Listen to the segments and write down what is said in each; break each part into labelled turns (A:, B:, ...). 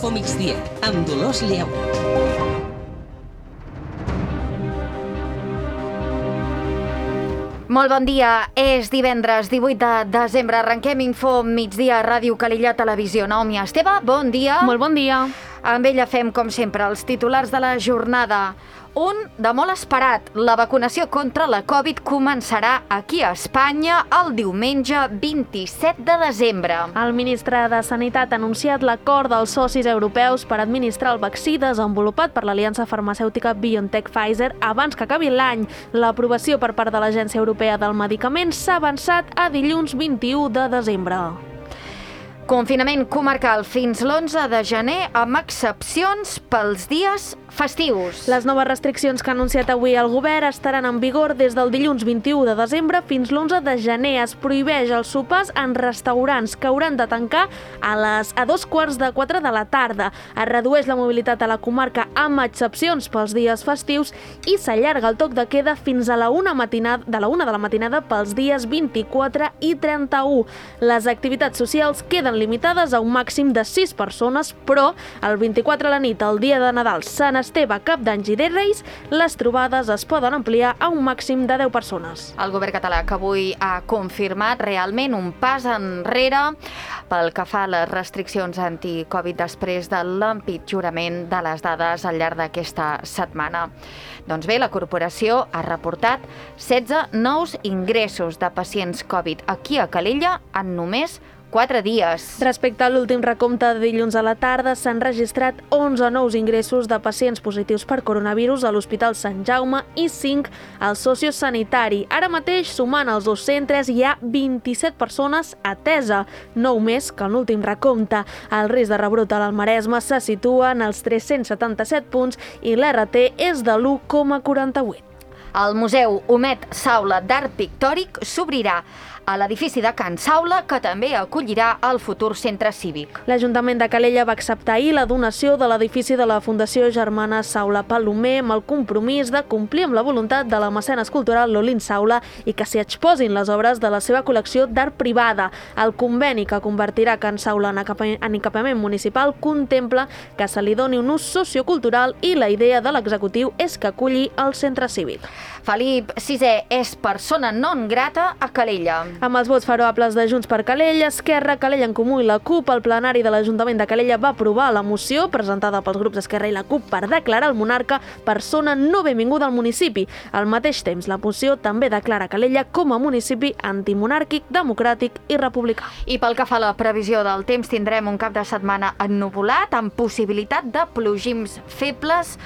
A: Infomigdia, amb Dolors Lleó.
B: Molt bon dia, és divendres 18 de desembre, arrenquem Info Migdia, Ràdio Calella, Televisió. Naomi Esteve, bon dia.
C: Molt bon dia.
B: Amb ella fem, com sempre, els titulars de la jornada. Un de molt esperat, la vacunació contra la Covid començarà aquí a Espanya el diumenge 27 de desembre.
C: El ministre de Sanitat ha anunciat l'acord dels socis europeus per administrar el vaccí desenvolupat per l'aliança farmacèutica BioNTech-Pfizer abans que acabi l'any. L'aprovació per part de l'Agència Europea del Medicament s'ha avançat a dilluns 21 de desembre.
B: Confinament comarcal fins l'11 de gener amb excepcions pels dies festius.
C: Les noves restriccions que ha anunciat avui el govern estaran en vigor des del dilluns 21 de desembre fins l'11 de gener. Es prohibeix els sopars en restaurants que hauran de tancar a 2:15 de la tarda. Es redueix la mobilitat a la comarca amb excepcions pels dies festius i s'allarga el toc de queda fins a la 1 de la matinada pels dies 24 i 31. Les activitats socials queden limitades a un màxim de 6 persones, però el 24 a la nit, el dia de Nadal, Sant Esteve, Cap d'Anys i de Reis, les trobades es poden ampliar a un màxim de 10 persones.
B: El govern català que avui ha confirmat realment un pas enrere pel que fa a les restriccions anti-Covid després de l'empitjorament de les dades al llarg d'aquesta setmana. Doncs bé, la corporació ha reportat 16 nous ingressos de pacients Covid aquí a Calella en només 4 dies.
C: Respecte a l'últim recompte de dilluns a la tarda, s'han registrat 11 nous ingressos de pacients positius per coronavirus a l'Hospital Sant Jaume i 5 al sociosanitari. Ara mateix, sumant els dos centres, hi ha 27 persones atesa, 9 més que en l'últim recompte. El risc de rebrot a l'Maresme se situa en els 377 punts i l'RT és de l'1,48.
B: El Museu Homet Saula d'Art Pictòric s'obrirà a l'edifici de Can Saula, que també acollirà el futur centre cívic.
C: L'Ajuntament de Calella va acceptar ahir la donació de l'edifici de la Fundació Germana Saula Palomer amb el compromís de complir amb la voluntat de la mecenes cultural Lolín Saula i que s'hi exposin les obres de la seva col·lecció d'art privada. El conveni que convertirà Can Saula en equipament municipal contempla que se li doni un ús sociocultural i la idea de l'executiu és que aculli el centre cívic.
B: Felip VI és persona non grata a Calella.
C: Amb els vots favorables de Junts per Calella, Esquerra, Calella en Comú i la CUP, el plenari de l'Ajuntament de Calella va aprovar la moció presentada pels grups Esquerra i la CUP per declarar el monarca persona no benvinguda al municipi. Al mateix temps, la moció també declara Calella com a municipi antimonàrquic, democràtic i republicà.
B: I pel que fa a la previsió del temps, tindrem un cap de setmana ennuvolat amb possibilitat de plogims febles,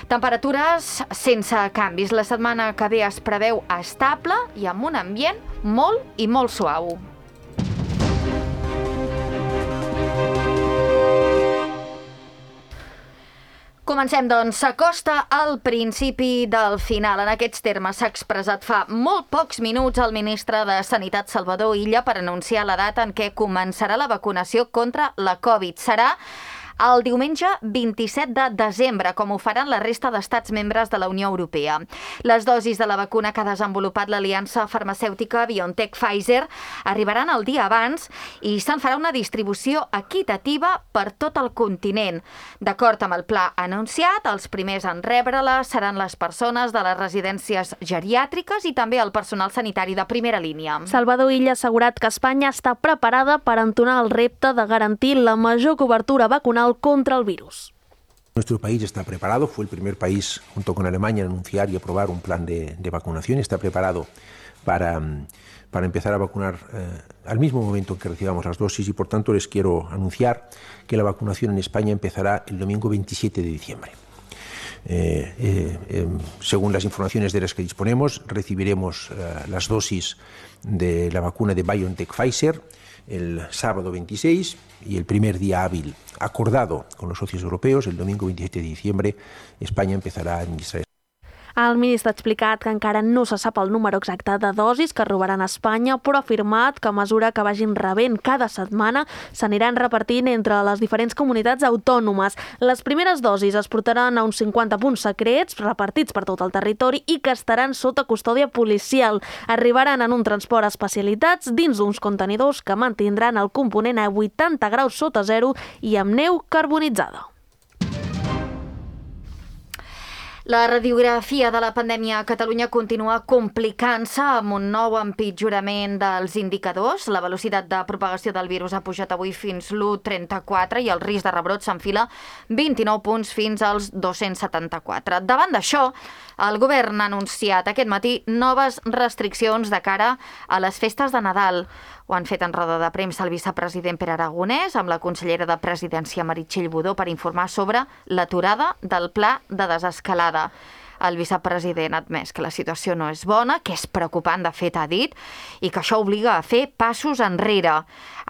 B: temperatures sense canvis. La setmana que ve es preveu estable i amb un ambient molt i molt suau. Comencem, doncs. S'acosta al principi del final. En aquests termes s'ha expressat fa molt pocs minuts el ministre de Sanitat, Salvador Illa, per anunciar la data en què començarà la vacunació contra la Covid. Serà el diumenge 27 de desembre, com ho faran la resta d'estats membres de la Unió Europea. Les dosis de la vacuna que ha desenvolupat l'aliança farmacèutica BioNTech-Pfizer arribaran el dia abans i se'n farà una distribució equitativa per tot el continent. D'acord amb el pla anunciat, els primers en rebre-la seran les persones de les residències geriàtriques i també el personal sanitari de primera línia.
C: Salvador Illa ha assegurat que Espanya està preparada per entonar el repte de garantir la major cobertura vacunal contra el virus.
D: Nuestro país está preparado, fue el primer país junto con Alemania en anunciar y aprobar un plan de vacunación, está preparado para empezar a vacunar al mismo momento en que recibamos las dosis y por tanto les quiero anunciar que la vacunación en España empezará el domingo 27 de diciembre. Según las informaciones de las que disponemos, recibiremos las dosis de la vacuna de BioNTech-Pfizer el sábado 26 y el primer día hábil acordado con los socios europeos, el domingo 27 de diciembre, España empezará a administrar.
C: El ministre ha explicat que encara no se sap el número exacte de dosis que robaran a Espanya, però ha afirmat que a mesura que vagin rebent cada setmana s'aniran repartint entre les diferents comunitats autònomes. Les primeres dosis es portaran a uns 50 punts secrets repartits per tot el territori i que estaran sota custòdia policial. Arribaran en un transport especialitats dins d'uns contenidors que mantindran el component a 80 graus sota zero i amb neu carbonitzada.
B: La radiografia de la pandèmia a Catalunya continua complicant-se amb un nou empitjorament dels indicadors. La velocitat de propagació del virus ha pujat avui fins l'1,34 i el risc de rebrot s'enfila 29 punts fins als 274. Davant d'això, el govern ha anunciat aquest matí noves restriccions de cara a les festes de Nadal. Ho han fet en roda de premsa el vicepresident Pere Aragonès amb la consellera de Presidència Meritxell Budó per informar sobre l'aturada del pla de desescalada. El vicepresident ha admès que la situació no és bona, que és preocupant, de fet, ha dit, i que això obliga a fer passos enrere.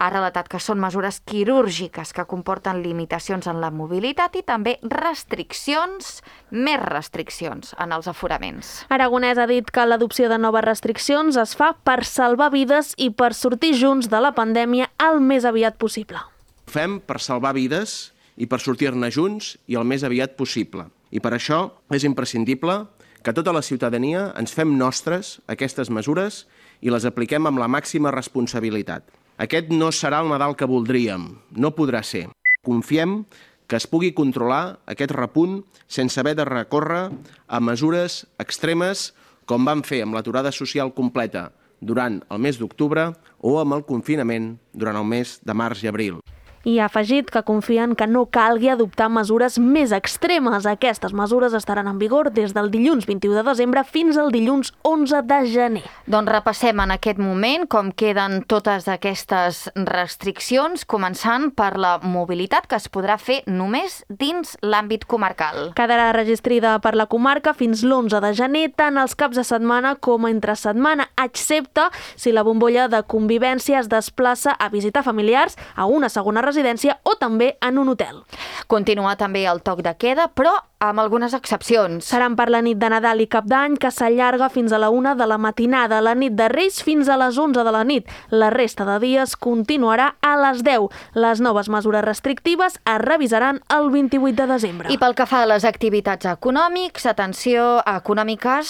B: Ha relatat que són mesures quirúrgiques que comporten limitacions en la mobilitat i també més restriccions en els aforaments.
C: Aragonès ha dit que l'adopció de noves restriccions es fa per salvar vides i per sortir junts de la pandèmia el més aviat possible.
E: Ho fem per salvar vides i per sortir-ne junts i el més aviat possible. I per això és imprescindible que tota la ciutadania ens fem nostres aquestes mesures i les apliquem amb la màxima responsabilitat. Aquest no serà el Nadal que voldríem, no podrà ser. Confiem que es pugui controlar aquest repunt sense haver de recórrer a mesures extremes com vam fer amb l'aturada social completa durant el mes d'octubre o amb el confinament durant el mes de març i abril.
C: I ha afegit que confien que no calgui adoptar mesures més extremes. Aquestes mesures estaran en vigor des del dilluns 21 de desembre fins al dilluns 11 de gener.
B: Doncs repassem en aquest moment com queden totes aquestes restriccions, començant per la mobilitat, que es podrà fer només dins l'àmbit comarcal.
C: Quedarà registrada per la comarca fins l'11 de gener, tant els caps de setmana com entre setmana, excepte si la bombolla de convivència es desplaça a visitar familiars a una segona residència o també en un hotel.
B: Continua també el toc de queda, però amb algunes excepcions.
C: Seran per la nit de Nadal i Cap d'Any, que s'allarga fins a la 1 de la matinada, la nit de Reis fins a les 11 de la nit. La resta de dies continuarà a les 10. Les noves mesures restrictives es revisaran el 28 de desembre.
B: I pel que fa a les activitats econòmiques,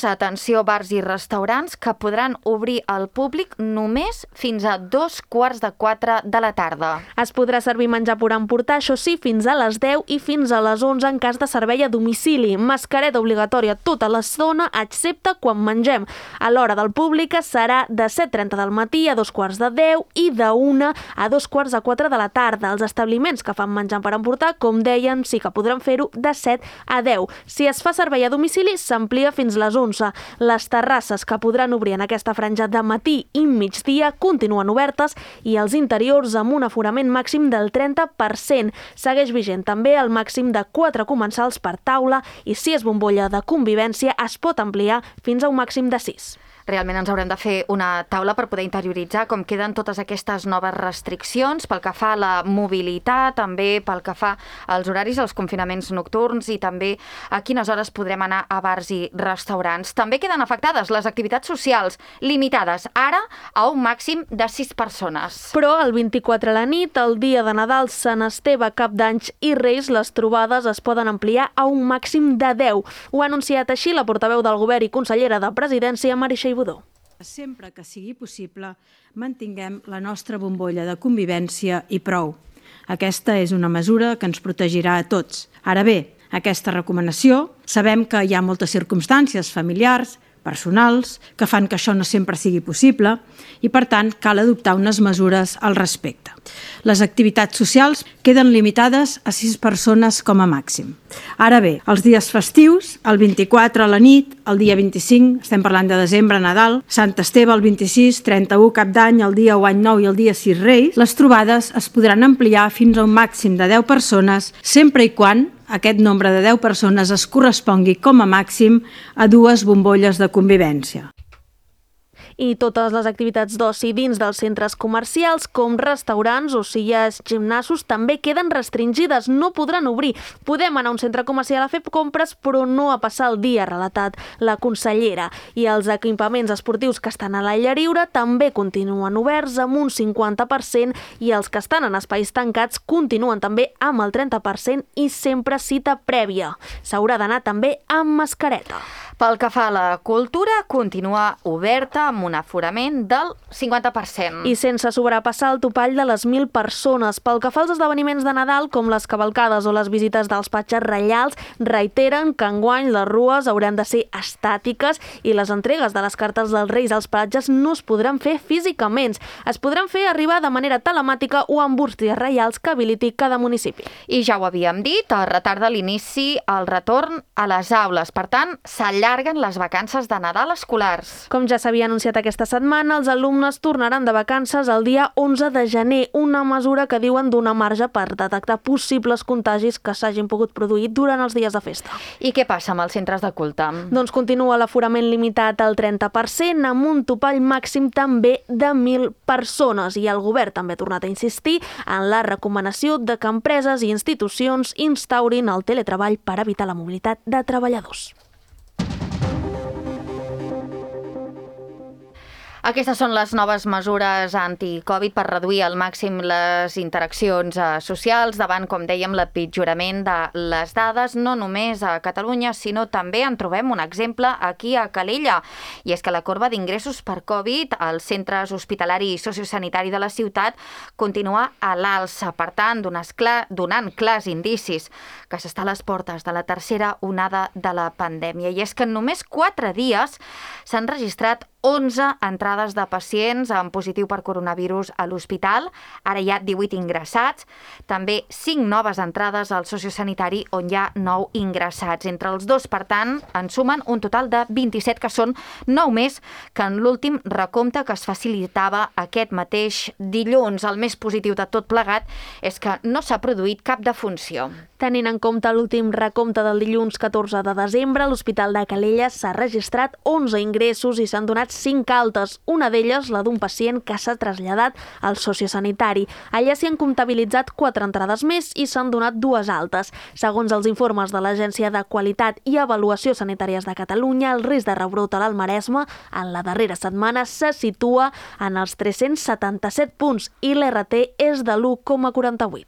B: atenció bars i restaurants que podran obrir al públic només fins a 3:45 de la tarda.
C: Es podrà servir menjar per emportar, això sí, fins a les 10 i fins a les 11 en cas de servei a domicili. Mascareta obligatòria tota l'estona, excepte quan mengem. A l'hora del públic serà de 7:30 del matí a 2:45 i de 1 a 3:45 de la tarda. Els establiments que fan menjar per emportar, com deien, sí que podran fer-ho de 7 a 10. Si es fa servei a domicili, s'amplia fins les 11. Les terrasses que podran obrir en aquesta franja de matí i migdia continuen obertes i els interiors amb un aforament màxim del 30%. Segueix vigent també el màxim de 4 comensals per taula i si és bombolla de convivència es pot ampliar fins a un màxim de 6.
B: Realment ens haurem de fer una taula per poder interioritzar com queden totes aquestes noves restriccions pel que fa a la mobilitat, també pel que fa als horaris, als confinaments nocturns i també a quines hores podrem anar a bars i restaurants. També queden afectades les activitats socials, limitades ara a un màxim de 6 persones.
C: Però el 24 a la nit, el dia de Nadal, Sant Esteve, Cap d'Any i Reis, les trobades es poden ampliar a un màxim de 10. Ho ha anunciat així la portaveu del Govern i consellera de Presidència, Meritxell Budó.
F: Sempre que sigui possible, mantinguem la nostra bombolla de convivència i prou. Aquesta és una mesura que ens protegirà a tots. Ara bé, aquesta recomanació, sabem que hi ha moltes circumstàncies familiars, personals, que fan que això no sempre sigui possible i, per tant, cal adoptar unes mesures al respecte. Les activitats socials queden limitades a 6 persones com a màxim. Ara bé, els dies festius, el 24 a la nit, el dia 25, estem parlant de desembre, Nadal, Sant Esteve el 26, 31 Cap d'Any, el dia 1 Any Nou i el dia 6 Reis, les trobades es podran ampliar fins a un màxim de 10 persones, sempre i quan aquest nombre de 10 persones es correspongui com a màxim a 2 bombolles de convivència.
C: I totes les activitats d'oci dins dels centres comercials, com restaurants, ocelles, gimnasos, també queden restringides, no podran obrir. Podem anar a un centre comercial a fer compres, però no a passar el dia, ha relatat la consellera. I els equipaments esportius que estan a l'aire lliure també continuen oberts amb un 50% i els que estan en espais tancats continuen també amb el 30% i sempre cita prèvia. S'haurà d'anar també amb mascareta.
B: Pel que fa a la cultura, continua oberta amb un aforament del 50%.
C: I sense sobrepassar el topall de les 1.000 persones. Pel que fa als esdeveniments de Nadal, com les cavalcades o les visites dels patges reials, reiteren que enguany les rues hauran de ser estàtiques i les entregues de les cartes dels Reis als patges no es podran fer físicament. Es podran fer arribar de manera telemàtica o amb bústies reials que habiliti cada municipi.
B: I ja ho havíem dit, es retarda l'inici al retorn a les aules. Per tant, s'allarguen les vacances de Nadal escolars.
C: Com ja s'havia anunciat aquesta setmana, els alumnes tornaran de vacances el dia 11 de gener, una mesura que diuen donar marge per detectar possibles contagis que s'hagin pogut produir durant els dies de festa.
B: I què passa amb els centres de culte?
C: Doncs continua l'aforament limitat al 30%, amb un topall màxim també de 1.000 persones. I el govern també ha tornat a insistir en la recomanació de que empreses i institucions instaurin el teletreball per evitar la mobilitat de treballadors.
B: Aquestes són les noves mesures anti-Covid per reduir al màxim les interaccions socials davant, com dèiem, l'empitjorament de les dades, no només a Catalunya, sinó també en trobem un exemple aquí a Calella. I és que la corba d'ingressos per Covid als centres hospitalari i sociosanitari de la ciutat continua a l'alça. Per tant, donant clars indicis que s'està a les portes de la tercera onada de la pandèmia. I és que en només 4 dies s'han registrat 11 entrades de pacients amb positiu per coronavirus a l'hospital, ara hi ha 18 ingressats, també 5 noves entrades al sociosanitari on hi ha 9 ingressats. Entre els dos, per tant, en sumen un total de 27, que són 9 més que en l'últim recompte que es facilitava aquest mateix dilluns. El més positiu de tot plegat és que no s'ha produït cap defunció.
C: Tenint en compte l'últim recompte del dilluns 14 de desembre, a l'Hospital de Calella s'ha registrat 11 ingressos i s'han donat 5 altes, una d'elles la d'un pacient que s'ha traslladat al sociosanitari. Allà s'hi han comptabilitzat 4 entrades més i s'han donat 2 altes. Segons els informes de l'Agència de Qualitat i Avaluació Sanitàries de Catalunya, el risc de rebrot a l'Maresme en la darrera setmana se situa en els 377 punts i l'RT és de l'1,48.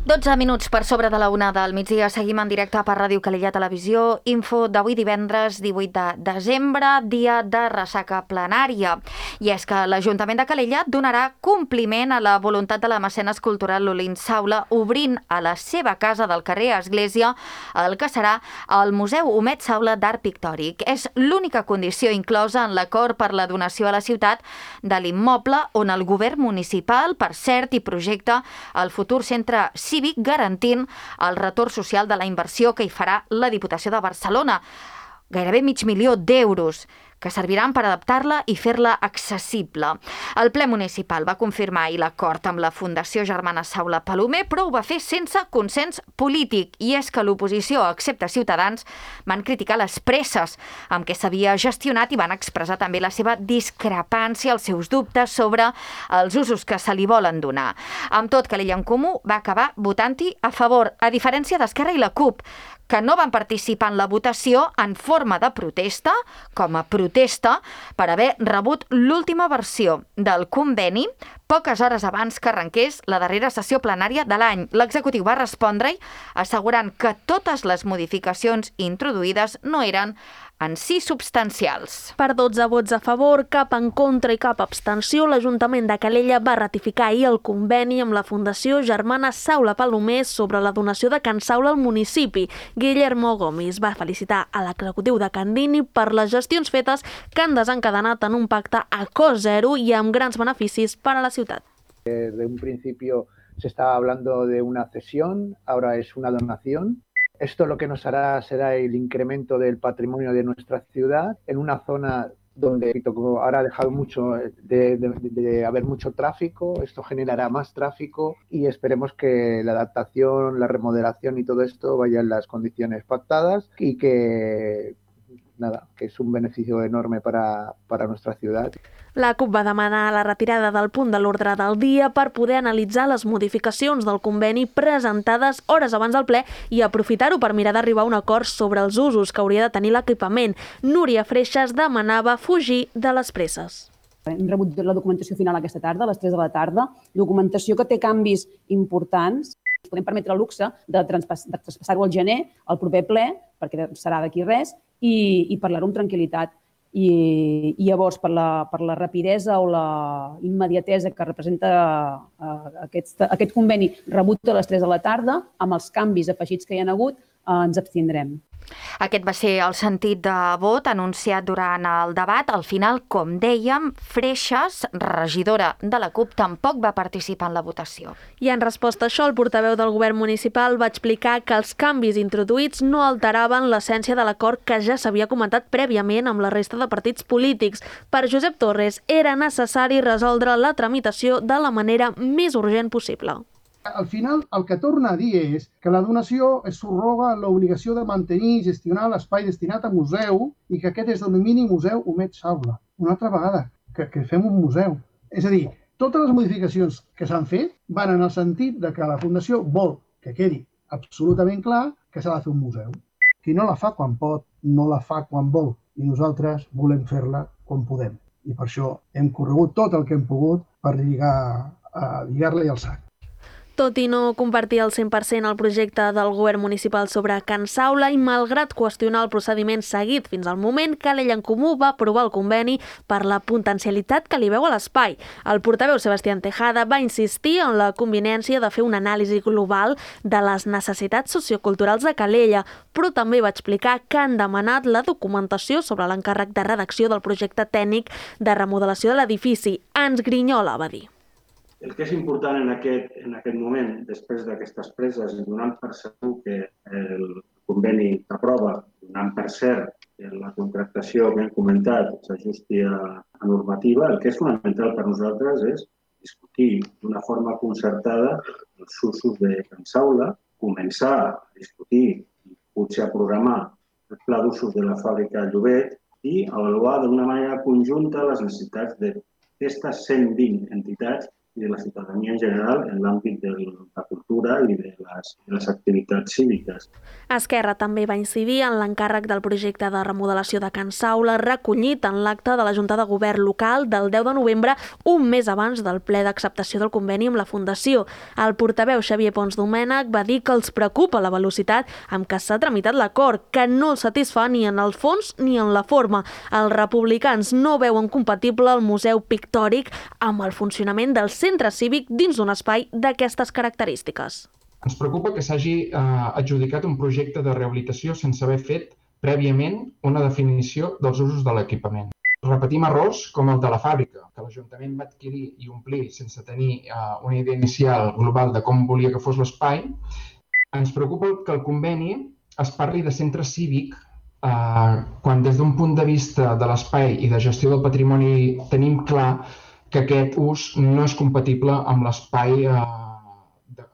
B: 12 minuts per sobre de la 1 del migdia. Seguim en directe per Ràdio Calella Televisió. Info d'avui divendres 18 de desembre, dia de ressaca plenària. I és que l'Ajuntament de Calella donarà compliment a la voluntat de la mecenes cultural Lolín Saula, obrint a la seva casa del carrer Església el que serà el Museu Humet Saula d'Art Pictòric. És l'única condició inclosa en l'acord per la donació a la ciutat de l'immoble on el govern municipal, per cert, hi projecta el futur centre cívic, garantint el retorn social de la inversió que hi farà la Diputació de Barcelona. Gairebé 500.000 d'euros que serviran per adaptar-la i fer-la accessible. El ple municipal va confirmar ahir l'acord amb la Fundació Germana Saula Palomer, però ho va fer sense consens polític. I és que l'oposició, excepte Ciutadans, van criticar les presses amb què s'havia gestionat i van expressar també la seva discrepància, els seus dubtes sobre els usos que se li volen donar. Amb tot, Calella en Comú va acabar votant-hi a favor, a diferència d'Esquerra i la CUP, que no van participar en la votació en forma de protesta, com a protesta per haver rebut l'última versió del conveni poques hores abans que arrenqués la darrera sessió plenària de l'any. L'executiu va respondre-hi assegurant que totes les modificacions introduïdes no eren en si substancials.
C: Per 12 vots a favor, cap en contra i cap abstenció, l'Ajuntament de Calella va ratificar ahir el conveni amb la Fundació Germana Saula Palomer sobre la donació de Can Saula al municipi. Guillermo Gomis va felicitar a l'executiu de Candini per les gestions fetes que han desencadenat en un pacte a cost zero i amb grans beneficis per a la ciutat.
G: Desde un principio se estaba hablando de una cesión, ahora es una donación. Esto lo que nos hará será el incremento del patrimonio de nuestra ciudad en una zona donde como ahora ha dejado mucho de haber mucho tráfico, esto generará más tráfico y esperemos que la adaptación, la remodelación y todo esto vaya en las condiciones pactadas y que es un beneficio enorme para nuestra ciudad.
C: La CUP va demanar la retirada del punt de l'ordre del dia per poder analitzar les modificacions del conveni presentades hores abans del ple i aprofitar-ho per mirar d'arribar a un acord sobre els usos que hauria de tenir l'equipament. Núria Freixas demanava fugir de les presses.
H: Hem rebut la documentació final aquesta tarda, a les 3 de la tarda, documentació que té canvis importants. Ens podem permetre el luxe de traspassar-ho al gener, al proper ple, perquè serà d'aquí res, i parlar-ho amb tranquil·litat. I llavors, per la rapidesa o la immediatesa que representa aquest conveni rebut a les 3 de la tarda, amb els canvis afegits que hi ha hagut, ens abstindrem.
B: Aquest va ser el sentit de vot anunciat durant el debat. Al final, com dèiem, Freixas, regidora de la CUP, tampoc va participar en la votació.
C: I en resposta a això, el portaveu del govern municipal va explicar que els canvis introduïts no alteraven l'essència de l'acord que ja s'havia comentat prèviament amb la resta de partits polítics. Per Josep Torres, era necessari resoldre la tramitació de la manera més urgent possible.
I: Al final, el que torna a dir és que la donació es subroga l'obligació de mantenir i gestionar l'espai destinat a museu i que aquest és el domini museu Humet Saula. Una altra vegada, que fem un museu. És a dir, totes les modificacions que s'han fet van en el sentit de que la Fundació vol que quedi absolutament clar que s'ha de fer un museu. Qui no la fa quan pot, no la fa quan vol. I nosaltres volem fer-la quan podem. I per això hem corregut tot el que hem pogut per lligar-la i al sac.
C: Tot i no compartir al 100% el projecte del govern municipal sobre Can Saula i malgrat qüestionar el procediment seguit fins al moment, Calella en Comú va aprovar el conveni per la potencialitat que li veu a l'espai. El portaveu Sebastián Tejada va insistir en la conveniència de fer una anàlisi global de les necessitats socioculturals de Calella, però també va explicar que han demanat la documentació sobre l'encàrrec de redacció del projecte tècnic de remodelació de l'edifici. Ens grinyola, va dir.
J: El que és important en aquest moment, després d'aquestes preses i donant per segur que el conveni s'aprova, donant per cert que la contractació que hem comentat s'ajusti a normativa, el que és fonamental per nosaltres és discutir d'una forma concertada els usos de Can Saula, començar a discutir i potser a programar el pla d'usos de la fàbrica Llobet i avaluar d'una manera conjunta les necessitats d'aquestes 120 entitats i de la ciutadania en general en l'àmbit de la cultura i de les activitats cíviques.
C: Esquerra també va incidir en l'encàrrec del projecte de remodelació de Can Saula recollit en l'acte de la Junta de Govern local del 10 de novembre, un mes abans del ple d'acceptació del conveni amb la Fundació. El portaveu Xavier Pons Domènech va dir que els preocupa la velocitat amb què s'ha tramitat l'acord, que no els satisfà ni en el fons ni en la forma. Els republicans no veuen compatible el Museu Pictòric amb el funcionament del centre cívic dins d'un espai d'aquestes característiques.
K: Ens preocupa que s'hagi adjudicat un projecte de rehabilitació sense haver fet prèviament una definició dels usos de l'equipament. Repetim errors com el de la fàbrica, que l'Ajuntament va adquirir i omplir sense tenir una idea inicial global de com volia que fos l'espai. Ens preocupa que el conveni es parli de centre cívic quan des d'un punt de vista de l'espai i de gestió del patrimoni tenim clar que aquest ús no és compatible amb l'espai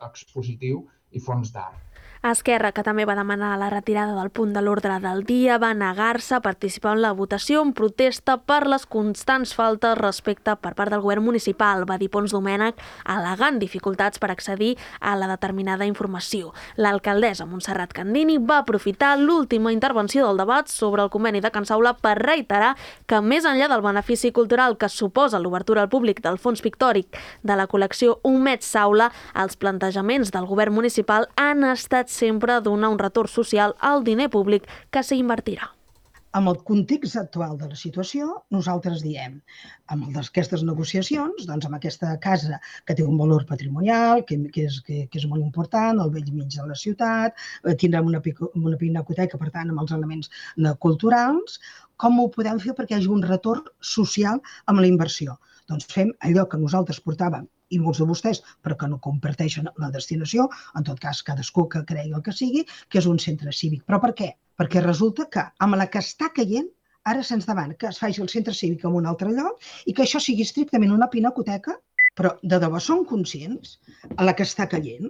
K: expositiu i fons d'art.
C: Esquerra, que també va demanar la retirada del punt de l'ordre del dia, va negar-se a participar en la votació en protesta per les constants faltes respecte per part del govern municipal, va dir Pons Domènech, al·legant dificultats per accedir a la determinada informació. L'alcaldessa Montserrat Candini va aprofitar l'última intervenció del debat sobre el conveni de Can Saula per reiterar que més enllà del benefici cultural que suposa l'obertura al públic del fons pictòric de la col·lecció Humet Saula, els plantejaments del govern municipal han estat sempre donar un retorn social al diner públic que s'hi invertirà.
L: Amb el context actual de la situació, nosaltres diem, amb aquestes negociacions, doncs amb aquesta casa que té un valor patrimonial, que és molt important, al vell mig de la ciutat, tindrem una pinacoteca, per tant, amb els elements culturals, com ho podem fer perquè hi hagi un retorn social amb la inversió? Doncs fem allò que nosaltres portàvem i molts de vostès, però que no comparteixen la destinació, en tot cas cadascú que cregui el que sigui, que és un centre cívic. Però per què? Perquè resulta que amb la que està caient ara se'ns demana que es faci el centre cívic en un altre lloc i que això sigui estrictament una pinacoteca, però de debò són conscients a la que està caient?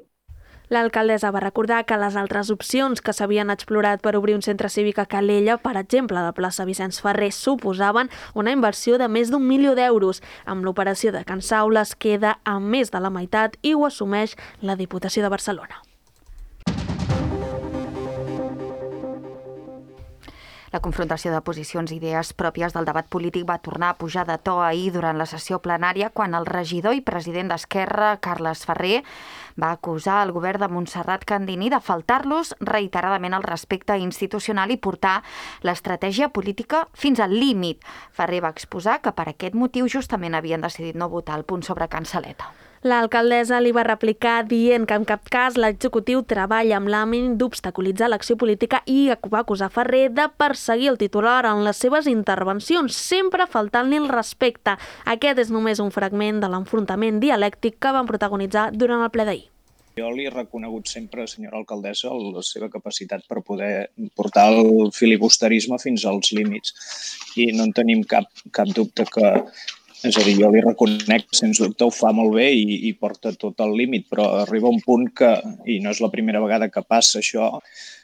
C: L'alcaldessa va recordar que les altres opcions que s'havien explorat per obrir un centre cívic a Calella, per exemple, a la plaça Vicenç Ferrer, suposaven una inversió de més d'1 milió d'euros. Amb l'operació de Can Saula es queda a més de la meitat i ho assumeix la Diputació de Barcelona.
B: La confrontació de posicions i idees pròpies del debat polític va tornar a pujar de to ahir durant la sessió plenària quan el regidor i president d'Esquerra, Carles Ferrer, va acusar el govern de Montserrat Candini de faltar-los reiteradament al respecte institucional i portar l'estratègia política fins al límit. Ferrer va exposar que per aquest motiu justament havien decidit no votar el punt sobre Cansaleta.
C: L'alcaldessa li va replicar dient que en cap cas l'executiu treballa amb l'ànim d'obstaculitzar l'acció política i va acusar Ferrer de perseguir el titular en les seves intervencions, sempre faltant-li el respecte. Aquest és només un fragment de l'enfrontament dialèctic que van protagonitzar durant el ple d'ahir.
M: Jo li he reconegut sempre, senyora alcaldessa, la seva capacitat per poder portar el filibusterisme fins als límits i no en tenim cap dubte que... És a dir, jo li reconec que sens dubte ho fa molt bé i porta tot al límit, però arriba un punt que, i no és la primera vegada que passa això,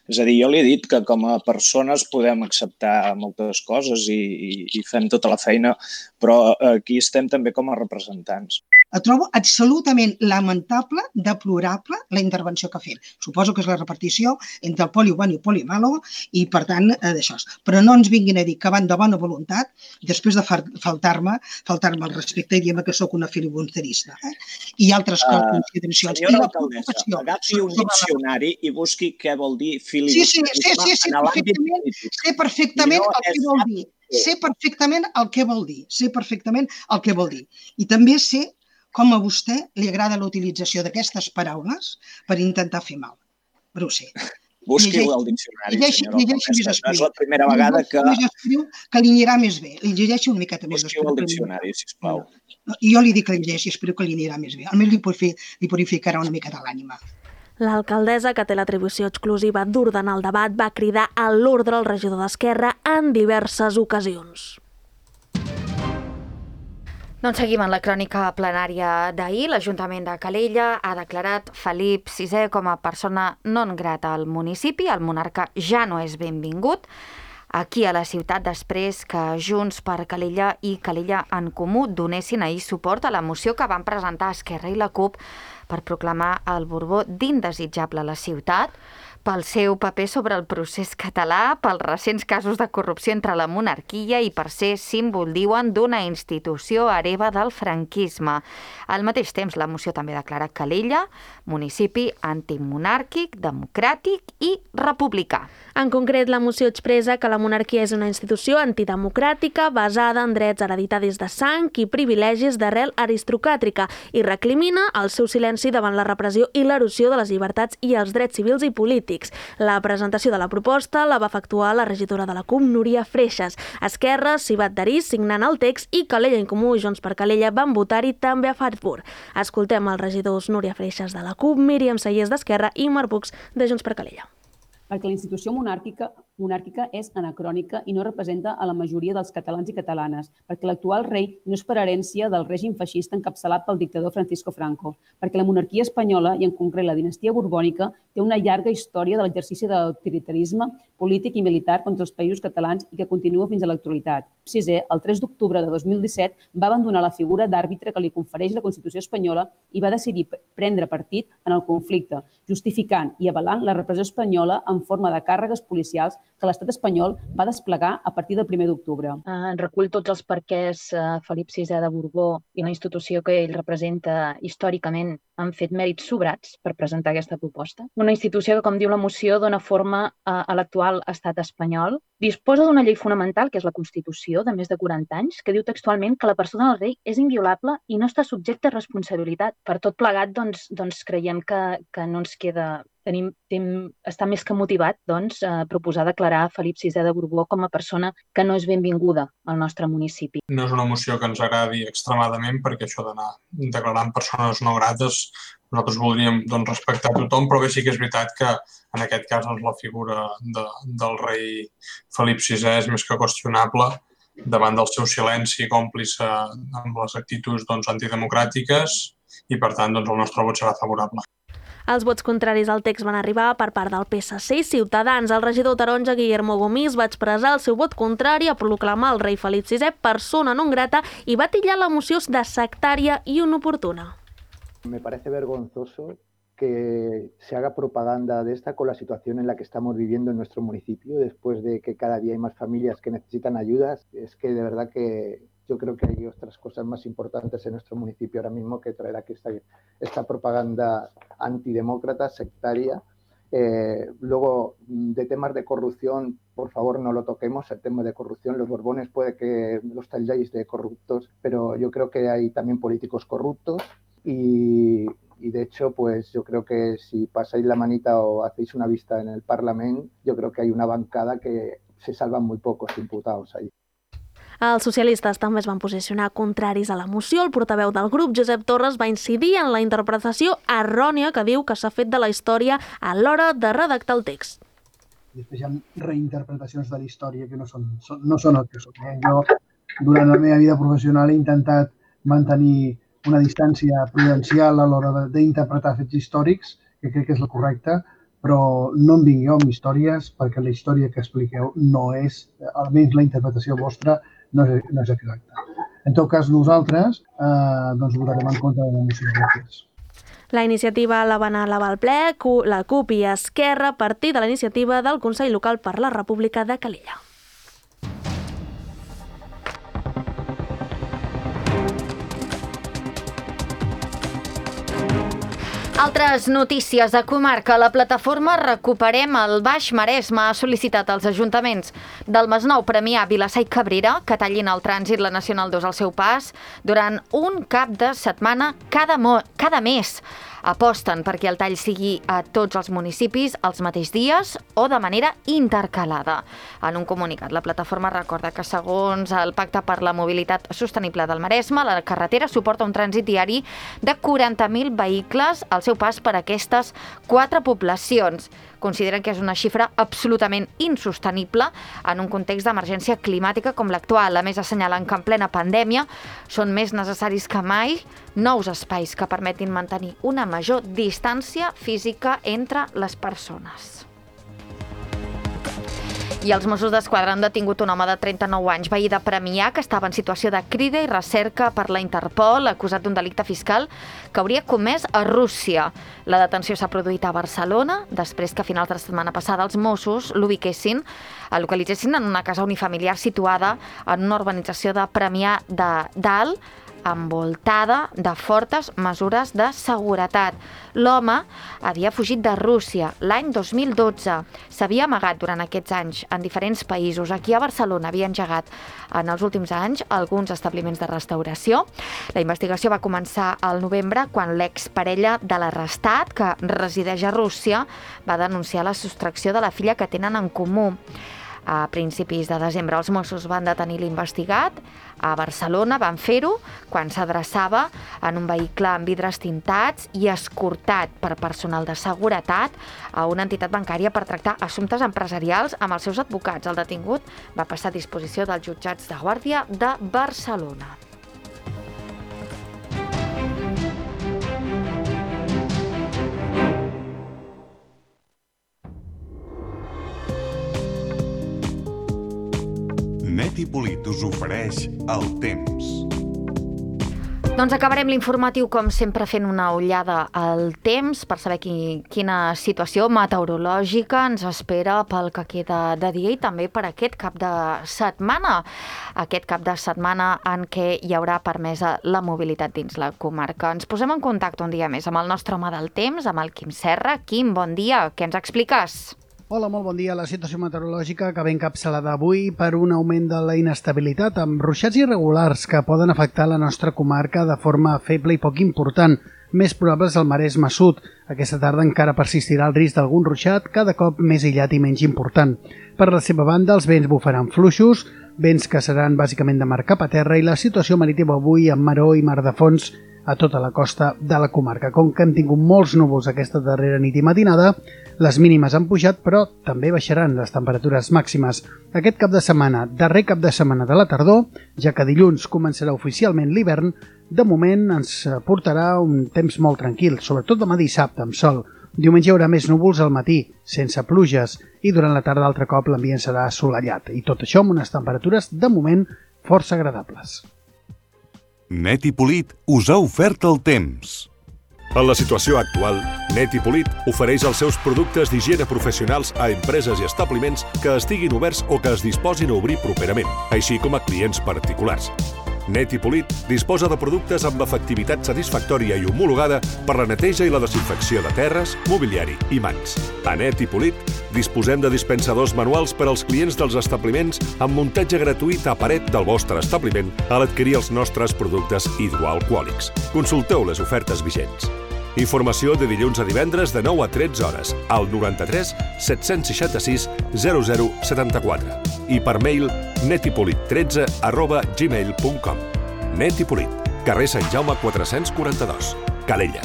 M: és a dir, jo li he dit que com a persones podem acceptar moltes coses i fem tota la feina, però aquí estem també com a representants.
L: Trobo absolutament lamentable, deplorable, la intervenció que ha fet. Suposo que és la repartició entre el poli bueno i el poli malo i, per tant, d'això. Però no ens vinguin a dir que van de bona voluntat després de faltar-me el respecte i dir-me que sóc una filibusterista. I altres consideracions.
M: Senyora alcaldessa, agafi un diccionari i busqui què vol dir filibusterisme en l'àmbit polític.
L: Sé perfectament el que vol dir. Sé perfectament el que vol dir. I també sé com a vostè li agrada la utilització d'aquestes paraules per intentar fer mal. Però ho sé.
M: Busqui-ho al diccionari, senyora alcaldessa. No és la primera vegada que...
L: Que li anirà més bé. Li llegeixo una miqueta més.
M: Busqui-ho al diccionari, sisplau.
L: I jo li dic que li llegeixi, espero que li anirà més bé. Almenys li purificarà una miqueta l'ànima.
C: L'alcaldessa, que té l'atribució exclusiva d'ordenar el debat, va cridar a l'ordre al regidor d'Esquerra en diverses ocasions.
B: Doncs seguim en la crònica plenària d'ahir. L'Ajuntament de Calella ha declarat Felip VI com a persona non grata al municipi. El monarca ja no és benvingut aquí a la ciutat després que Junts per Calella i Calella en Comú donessin ahir suport a la moció que van presentar Esquerra i la CUP per proclamar el Borbó d'indesitjable a la ciutat, pel seu paper sobre el procés català, pels recents casos de corrupció entre la monarquia i per ser símbol, diuen, d'una institució hereva del franquisme. Al mateix temps, la moció també declara Calella municipi antimonàrquic, democràtic i republicà.
C: En concret, la moció expressa que la monarquia és una institució antidemocràtica basada en drets hereditaris de sang i privilegis d'arrel aristocràtica i recrimina el seu silenci davant la repressió i l'erosió de les llibertats i els drets civils i polítics. La presentació de la proposta la va efectuar la regidora de la CUP, Núria Freixas. Esquerra s'hi va adherir signant el text i Calella en Comú i Junts per Calella van votar-hi també a favor. Escoltem els regidors Núria Freixas de la CUP, Míriam Sayers d'Esquerra i Marc Puig de Junts per Calella.
H: Perquè la institució monàrquica és anacrònica i no representa a la majoria dels catalans i catalanes, perquè l'actual rei no és per herència del règim feixista encapçalat pel dictador Francisco Franco, perquè la monarquia espanyola, i en concret la dinastia borbònica, té una llarga història de l'exercici de l'autoritarisme polític i militar contra els països catalans i que continua fins a l'actualitat. VI, el 3 d'octubre de 2017, va abandonar la figura d'àrbitre que li confereix la Constitució espanyola i va decidir prendre partit en el conflicte, justificant i avalant la repressió espanyola en forma de càrregues policials que l'estat espanyol va desplegar a partir del 1 d'octubre.
N: Recull tots els perquès Felip VI de Borbó i la institució que ell representa històricament han fet mèrits sobrats per presentar aquesta proposta. Una institució que, com diu la moció, dona forma a l'actual estat espanyol. Disposa d'una llei fonamental, que és la Constitució, de més de 40 anys, que diu textualment que la persona del rei és inviolable i no està subjecta a responsabilitat. Per tot plegat, doncs creiem que no ens queda està més que motivat a proposar declarar Felip VI de Borbó com a persona que no és benvinguda al nostre municipi.
O: No és una moció que ens agradi extremadament, perquè això d'anar declarant persones no grates nosaltres voldríem respectar tothom, però bé, sí que és veritat que en aquest cas la figura del rei Felip VI és més que qüestionable davant del seu silenci còmplice amb les actituds antidemocràtiques i, per tant, el nostre vot serà favorable.
C: Els vots contraris al text van arribar per part del PSC i Ciutadans. El regidor taronja Guillermo Gomis va expressar el seu vot contrari a proclamar el rei Felip VI persona non grata i va titllar la moció de sectària i inoportuna.
G: Me parece vergonzoso que se haga propaganda de esta con la situación en la que estamos viviendo en nuestro municipio, después de que cada día hay más familias que necesitan ayudas. Es que de verdad que yo creo que hay otras cosas más importantes en nuestro municipio ahora mismo que traer aquí esta propaganda antidemócrata, sectaria. Luego, de temas de corrupción, por favor no lo toquemos, el tema de corrupción. Los Borbones puede que los talláis de corruptos, pero yo creo que hay también políticos corruptos y de hecho, pues yo creo que si pasáis la manita o hacéis una vista en el Parlamento, yo creo que hay una bancada que se salvan muy pocos imputados ahí.
C: Els socialistes també es van posicionar contraris a la moció. El portaveu del grup, Josep Torres, va incidir en la interpretació errònia que diu que s'ha fet de la història a l'hora de redactar el text.
I: Després hi ha reinterpretacions de la història que no són el que són. Jo, durant la meva vida professional, he intentat mantenir una distància prudencial a l'hora d'interpretar fets històrics, que crec que és la correcta, però no em vingueu amb històries perquè la història que expliqueu no és, almenys la interpretació vostra, no és exacta. En tot cas, nosaltres votarem en contra de la moció. Gràcies.
C: La iniciativa la van elevar al ple la CUP i Esquerra a partir de la iniciativa del Consell Local per la República de Calella.
B: Altres notícies de comarca. La plataforma Recuperem el Baix Maresme ha sol·licitat als ajuntaments del Masnou, Premià, Vilassar i Cabrera que tallin el trànsit la Nacional 2 al seu pas durant un cap de setmana cada mes. Aposten perquè el tall sigui a tots els municipis els mateixos dies o de manera intercalada. En un comunicat, la plataforma recorda que segons el Pacte per la Mobilitat Sostenible del Maresme, la carretera suporta un trànsit diari de 40.000 vehicles al seu pas per aquestes 4 poblacions. Consideren que és una xifra absolutament insostenible en un context d'emergència climàtica com l'actual. A més, assenyalen que en plena pandèmia són més necessaris que mai nous espais que permetin mantenir una major distància física entre les persones. I els Mossos d'Esquadra han detingut un home de 39 anys, veí de Premià, que estava en situació de crida i recerca per la Interpol, acusat d'un delicte fiscal que hauria comès a Rússia. La detenció s'ha produït a Barcelona, després que a finals de la setmana passada els Mossos localitzessin en una casa unifamiliar situada en una urbanització de Premià de Dalt, envoltada de fortes mesures de seguretat. L'home havia fugit de Rússia l'any 2012. S'havia amagat durant aquests anys en diferents països. Aquí a Barcelona havia engegat en els últims anys alguns establiments de restauració. La investigació va començar al novembre quan l'exparella de l'arrestat, que resideix a Rússia, va denunciar la sostracció de la filla que tenen en comú. A principis de desembre els Mossos van detenir l'investigat. A Barcelona van fer-ho quan s'adreçava en un vehicle amb vidres tintats i escortat per personal de seguretat a una entitat bancària per tractar assumptes empresarials amb els seus advocats. El detingut va passar a disposició dels jutjats de guàrdia de Barcelona.
P: Net i Polit us ofereix el temps.
B: Doncs acabarem l'informatiu, com sempre, fent una ullada al temps per saber quina situació meteorològica ens espera pel que queda de dia i també per aquest cap de setmana. Aquest cap de setmana en què hi haurà permesa la mobilitat dins la comarca. Ens posem en contacte un dia més amb el nostre home del temps, amb el Quim Serra. Quim, bon dia, què ens expliques?
Q: Hola, molt bon dia. La situació meteorològica que ve encapçalada avui per un augment de la inestabilitat amb ruixats irregulars que poden afectar la nostra comarca de forma feble i poc important. més probable és el Maresme Sud. Aquesta tarda encara persistirà el risc d'algun ruixat, cada cop més aïllat i menys important. Per la seva banda, els vents bufaran fluixos, vents que seran bàsicament de mar cap a terra, i la situació marítima avui amb maró i mar de fons a tota la costa de la comarca. Com que hem tingut molts núvols aquesta darrera nit i matinada, les mínimes han pujat, però també baixaran les temperatures màximes. Aquest cap de setmana, darrer cap de setmana de la tardor, ja que dilluns començarà oficialment l'hivern, de moment ens portarà un temps molt tranquil, sobretot demà dissabte amb sol. Diumenge hi haurà més núvols al matí, sense pluges, i durant la tarda altre cop l'ambient serà assolellat. I tot això amb unes temperatures, de moment, força agradables.
P: Net i Polit us ha ofert el temps.
R: En la situació actual, Net i Polit ofereix els seus productes d'higiene professionals a empreses i establiments que estiguin oberts o que es disposin a obrir properament, així com a clients particulars. Net i Polit disposa de productes amb efectivitat satisfactòria i homologada per la neteja i la desinfecció de terres, mobiliari i mans. A Net i Polit disposem de dispensadors manuals per als clients dels establiments amb muntatge gratuït a paret del vostre establiment a l'adquirir els nostres productes hidroalcohòlics. Consulteu les ofertes vigents. Informació de dilluns a divendres de 9 a 13 hores al 93 766 0074 i per mail netipolit13@gmail.com. Net i Polit, carrer Sant Jaume 442, Calella.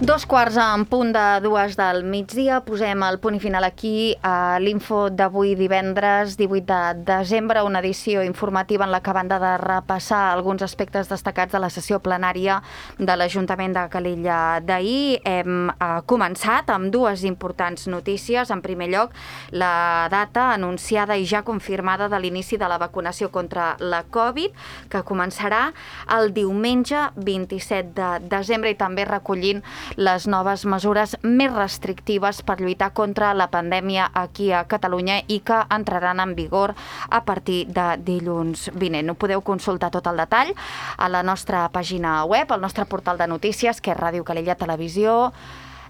B: Dos quarts en punt de 2 del migdia. Posem el punt i final aquí a l'info d'avui divendres 18 de desembre, una edició informativa en la que, a banda de repassar alguns aspectes destacats de la sessió plenària de l'Ajuntament de Calella d'ahir, hem començat amb dues importants notícies. En primer lloc, la data anunciada i ja confirmada de l'inici de la vacunació contra la Covid, que començarà el diumenge 27 de desembre i també recollint les noves mesures més restrictives per lluitar contra la pandèmia aquí a Catalunya i que entraran en vigor a partir de dilluns vinent. Ho podeu consultar tot el detall a la nostra pàgina web, al nostre portal de notícies, que és Ràdio Calella Televisió,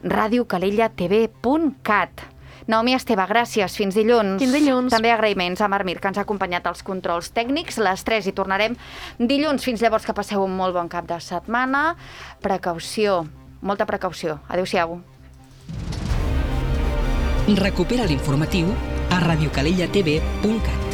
B: radiocalellatv.cat. Naomi Esteve, gràcies. Fins dilluns.
C: Fins dilluns.
B: També agraïments a Marc Mir, que ens ha acompanyat als controls tècnics. Les 3 hi tornarem dilluns. Fins llavors, que passeu un molt bon cap de setmana. Precaució, molta precaució. Adéu-siau.
A: Recupera l'informatiu a radiocalellatv.cat.